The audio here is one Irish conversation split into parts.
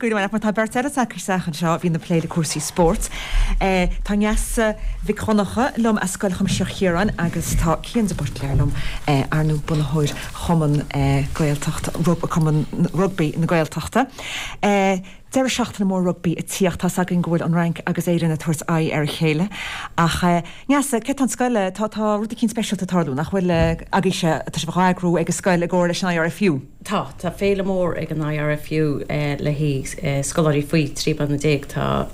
Go raibh maith agat. Tá beirt eile tagtha isteach anseo a bhíonn ag plé le cúrsaí spóirt. Tá Neasa Mhic Dhonncha liom as Scoil Chuimsitheach Chiaráin agus tá Cian de Buitléar liom, ar ndóigh bunaitheoir Chumann Gaeltacht, Cumann Rugbaí na Gaeltachta. Deireadh seachtaine mór rugbaí ag tíocht. Tá's againn go bhfuil an Fhrainc agus Éirinn ag tabhairt aghaidh ar a chéile. Ach Neasa, céard tá an scoil, tá tá rud eicínt speisialta ag tarlú, nach bhfuil agaibhse, tá sibh á eagrú ag an scoil i gcomhar leis an IRFU? Tá. Tá féile mór ag an IRFU le haghaidh scoláirí faoi 13 bliana. Tá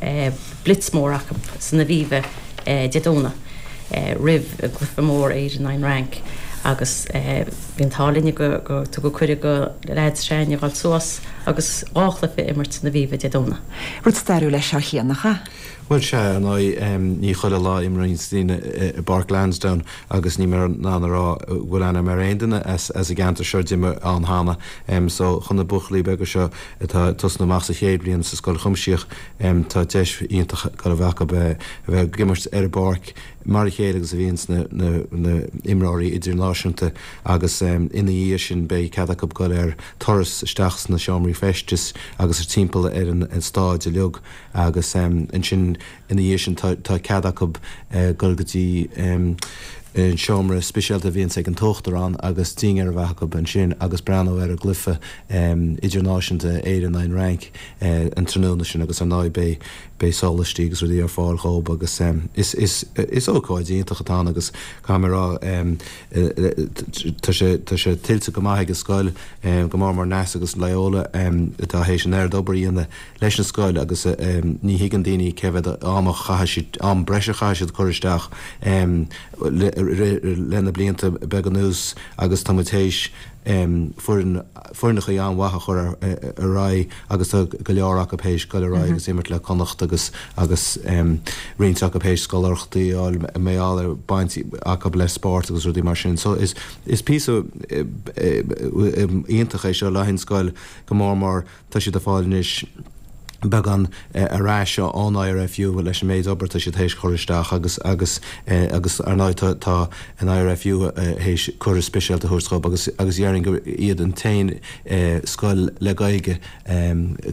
blitz mór acu san Aviva Dé Domhnaigh roimh an gcluiche mór Éire in aghaidh an Fhrainc agus bhí an t-ádh linne go tugadh cuireadh do leaids s'againne a dhul suas agus dhá chluiche a imirt san Aviva Dé Domhnaigh. Rud stairiúil é seo, a Chian, nach ea? Bhuel, sea, ar ndóigh, ní chuile lá a imríonns daoine i bPáirc Lansdowne agus níl mé in ann a rá go bhfuil aithne agam ar aon duine as an gceantar seo a d'imir ann cheana. So, chun na buachaillí beaga seo atá ag tosnú amach sa chéad bhliain sa scoil chuimsitheach, tá deis iontach ag dul a bheith acu a bheith ag imirt ar an bpáirc mar a chéile agus a bhíonns na imreoirí idirnáisiúnta agus ina dhiaidh sin beidh cead acu dul ar turas isteach sna seomraí feistis agus timpeall ar an staid uilig. Agus ansin ina dhiaidh sin tá cead acu dul go dtí an seomra speisialta a bhíonns ag an t-uachtarán agus dinnéar a bheith acu ansin agus breathnú ar an gcluiche idirnáisiúnta Éire in aghaidh an Fhrainc an tráthnóna sin agus ar ndóigh beidh beidh sólaistí agus rudaí ar fáil dhóibh agus is is is ócáid iontach atá ann agus caithfidh mé a rá tá sé tá sé tuillte go maith ag an scoil go mór mór Neasa agus Loyola atá théis an oiread obair a dhéanamh leis an scoil agus ní thuigeann daoine cé mhéad am a chaithfidh siad, am breise a chaithfidh siad cur isteach le na blianta beaga anuas agus tá muid théis foireann, foirneachaí an-mhaith a chur ar aghaidh agus tá go leor acu théis dul ar aghaidh agus imirt le Connacht agus agus roinnt acu théis scoláireachtaí a fháil mar gheall ar baint acu le spórt agus rudaí mar sin. So is is píosa iontach é seo le haghaidh an scoil go mór mór Tá siad ag fáil anois beagán ar ais ón IRFU leis an méid obair atá siad théis chur isteach agus agus agus ar ndóigh tá tá an IRFU théis cuireadh speisialta a thabhairt dhóibh agus agus déarfainn gur iad an t-aon scoil le Gaeilge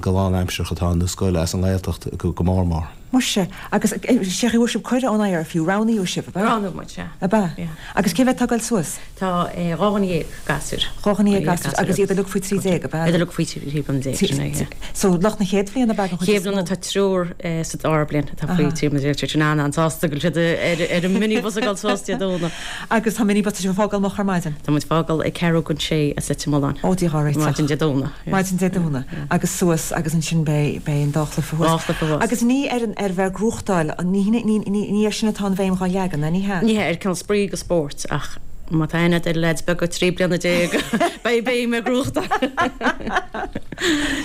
go lánaimsearach atá ann nó scoil as an nGaeltacht go mór mór. Muise, agus sé an chaoi a bhfuair sibh cuireadh ón IRFU, roghnaíodh sibh, ab ea? Roghnaíodh muid, sea. Ab ea? Yeah. Agus cé mhéad atá ag dul suas? Tá 12 gasúr. 12 gasúr, agus iad uilig faoi 13, ab ea? Iad uilig faoi 13 bliana, sin é, yeah. So, lucht na chéad bhliana ab ea den chuid is mó? Chéad bhliana, tá triúr sa dara bliain atá faoi 13 bliana, tá siad an-an-sásta go bhfuil siad ar an minibus ag dul suas Dé Domhnaigh. Agus tá minibus, tá sibh ag fágáil moch ar maidin? Tá muid ag fágáil ag ceathrú don sé as Leitir Mealláin. Ó, Dia dhá réiteach. Maidin Dé Domhnaigh. Maidin Dé Domhnaigh agus suas agus ansin beidh beidh an dá chluiche thuas. Dhá chluiche thuas. Agus ní ar an ar bheith ag gnóthachtáil, ní ní ní ní ar sin atá an bhéim dhá leagan, ná ní hea? Ní hea, ar cineál spraoi agus spóirt ach má tá aithne agat ar leaids beaga 13 bliana beidh béim ar ghnóthachtáil.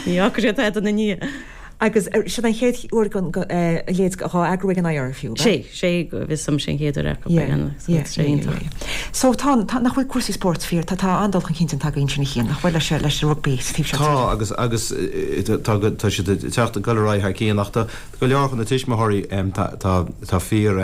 Ní fhágfaidh siad tada ina ndiaidh. Agus sin an chéad uair den leithéid dhá eagrú ag an IRFU, ab ea? Sé, sé go bhfios dom, sé an chéad uair acu é, so tá sé iontach. So tá, tá, nach bhfuil cúrsaí spóirt fíor, tá, tá an-dul chun cinn déanta againn sin a Chian, nach bhfuil leis, leis an rugbaí sa taobh seo tíre? Tá agus, agus tá, tá siad ag teacht, ag dul ar aghaidh thar cionn ach tá go leor de na tuismitheoirí, tá, tá, tá fíor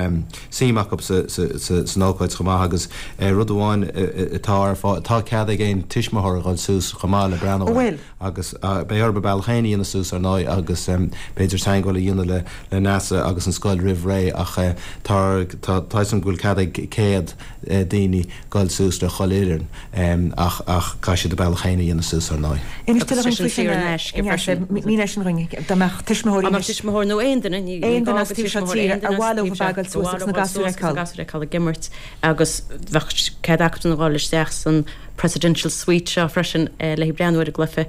suim acu sa, sa, sa, san ócáid chomh maith agus rud amháin atá ar fáil, tá cead ag aon tuismitheoir a dhul suas chomh maith le breathnú air. Ó bhfuil? Agus beidh orthu a bealach féin a dhéanamh suas, ar ndóigh, agus b'fhéidir teagmháil a dhéanamh le le Neasa agus an scoil roimh ré ach tá tá tá 'fhios agam go bhfuil cead ag 100 daoine dul suas le chuile fhoireann ach ach caithfidh siad a bealach féin a dhéanamh suas, ar ndóigh. Inis tuilleadh dhúinn faoi sin, a Neasa. Mínigh sin dhúinn. Dá mbeadh tuismitheoirí Dá mbeadh tuismitheoir nó aon duine, ní aon gá duine as go taobh seo tuismitheoir, tíre aon ar duine as mhaith leo taobh a seo, bheith ag dul ar suas mhaith agus leo na dul gasúir a suas agus na fheiceáil. gasúir a fheiceáil ag imirt agus bheadh cead acu a dhul isteach san Presidential Suite seo freisin le haghaidh breathnú ar an gcluiche.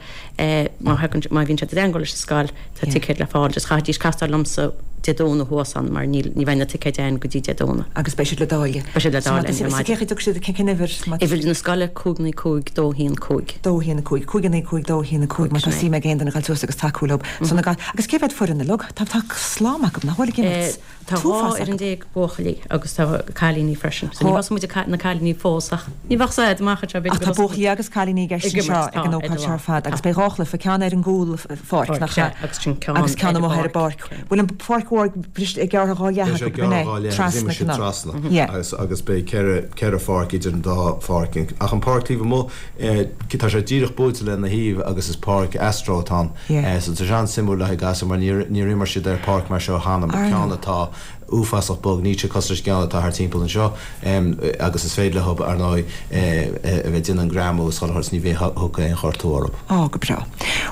Má thagann, má bhíonn siad i dteangmháil leis an scoil, tá ticéid le fáil. Just chaithfidís castáil liomsa Dé Domhnaigh thuas ann mar níl, ní bheidh na ticéid ann go dtí Dé Domhnaigh. Agus beidh siad le dáileadh. Beidh siad le dáileadh ar maidin. Cé chaoi a dtiocfaidh siad, cén uimhir? Uimhir na scoile, 5 9 5 2 1 5. 2 1 5, 5 9 5 2 1 5, má tá suim ag aon duine a dhul suas agus tacú leo. So na ga, agus cé mhéad foireann uilig? Tá, tá slám acu, nach bhfuil ag imirt? Tá 12 fhoireann buachaillí agus tá cailíní freisin. So ní thosaigh muid na cailíní fós ach ní bheadh said amach anseo b'fhéidir Ach tá buachaillí agus cailíní i gceist anseo ag an ócáid seo ar fad agus beidh dhá chluiche, ceann ar an gcúl pháirc, nach ea? Agus sin ceann ar amuigh ar an an bpáirc. Bhfuil an pháirc mhór. Mhór gearrtha dhá leath acu, b'in é? Gearrtha dhá leath agus imreoidh siad trasna agus agus beidh ceithre pháirc idir an dá pháirc. Ach an páirc taobh amuigh, tá sé díreach buailte lena thaobh agus is páirc Astro atá ann. So tá sé an-suimiúil le haghaidh gasúir mar níor níor imir siad ar pháirc mar seo cheana, ceann atá uafásach bog, níl sé cosúil leis an gceann atá thart timpeall anseo agus is féidir leo, ar ndóigh, a bheith ag déanamh an greamú is chuile shórt is ní bheidh thiocfaidh aon ghortú orthu. Á, go breá.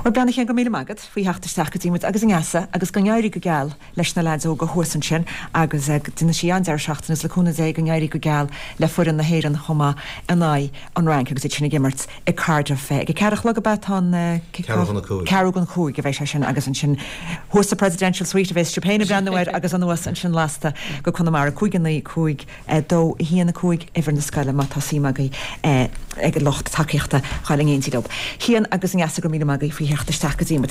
Bhuel, a Chian, go raibh míle maith agat faoi theacht isteach go dtí muid agus a Neasa agus go n-éirí go geal leis na leaids óga thuas ansin agus déanfaidh sí an-deireadh seachtaine agus le cúnamh Dé go n-éirí go geal le foireann na hÉireann chomh maith in aghaidh an Fhrainc agus iad sin ag imirt i Cardiff ag a ceathair a chlog ab ea tá an kick-off? Ceathrú chun a cúig. Ceathrú chun a cúig a bheidh sé sin agus ansin thuas sa Presidential Suite a bheas sibh féin ag breathnú air agus anuas ansin lasta go Conamara 5 9 5 2 1 5 uimhir na scoile má tá suim agaibh ag lucht tacaíochta dhul in éindí leo. Cian agus Neasa go raibh míle maith agaibh faoi theacht isteach go dtí muid.